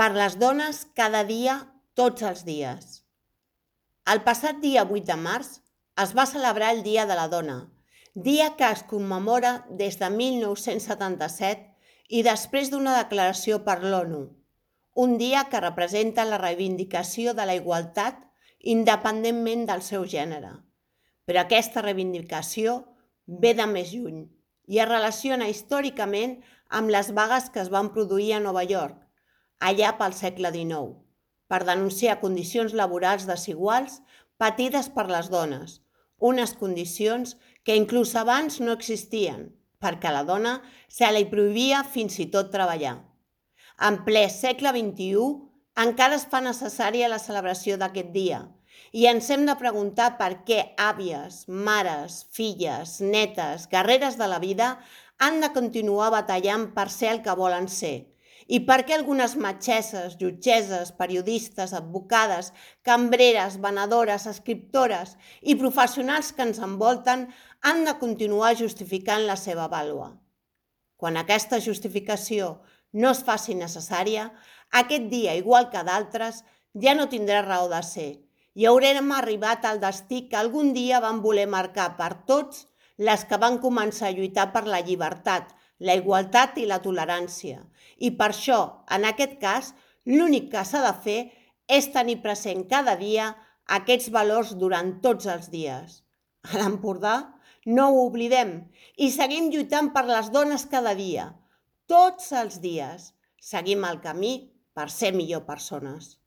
Per les dones cada dia, tots els dies. El passat dia 8 de març es va celebrar el Dia de la Dona, dia que es commemora des de 1977 i després d'una declaració per l'ONU, un dia que representa la reivindicació de la igualtat independentment del seu gènere. Però aquesta reivindicació ve de més lluny i es relaciona històricament amb les vagues que es van produir a Nova York, allà pel segle XIX, per denunciar condicions laborals desiguals patides per les dones, unes condicions que inclús abans no existien, perquè a la dona se li prohibia fins i tot treballar. En ple segle XXI encara es fa necessària la celebració d'aquest dia i ens hem de preguntar per què àvies, mares, filles, netes, guerreres de la vida han de continuar batallant per ser el que volen ser i per què algunes metgesses, jutgesses, periodistes, advocades, cambreres, venedores, escriptores i professionals que ens envolten han de continuar justificant la seva vàlua. Quan aquesta justificació no es faci necessària, aquest dia, igual que d'altres, ja no tindrà raó de ser i haurem arribat al destí que algun dia van voler marcar per tots les que van començar a lluitar per la llibertat, la igualtat i la tolerància. I per això, en aquest cas, l'únic que s'ha de fer és tenir present cada dia aquests valors durant tots els dies. A l'Empordà no ho oblidem i seguim lluitant per les dones cada dia, tots els dies. Seguim el camí per ser millor persones.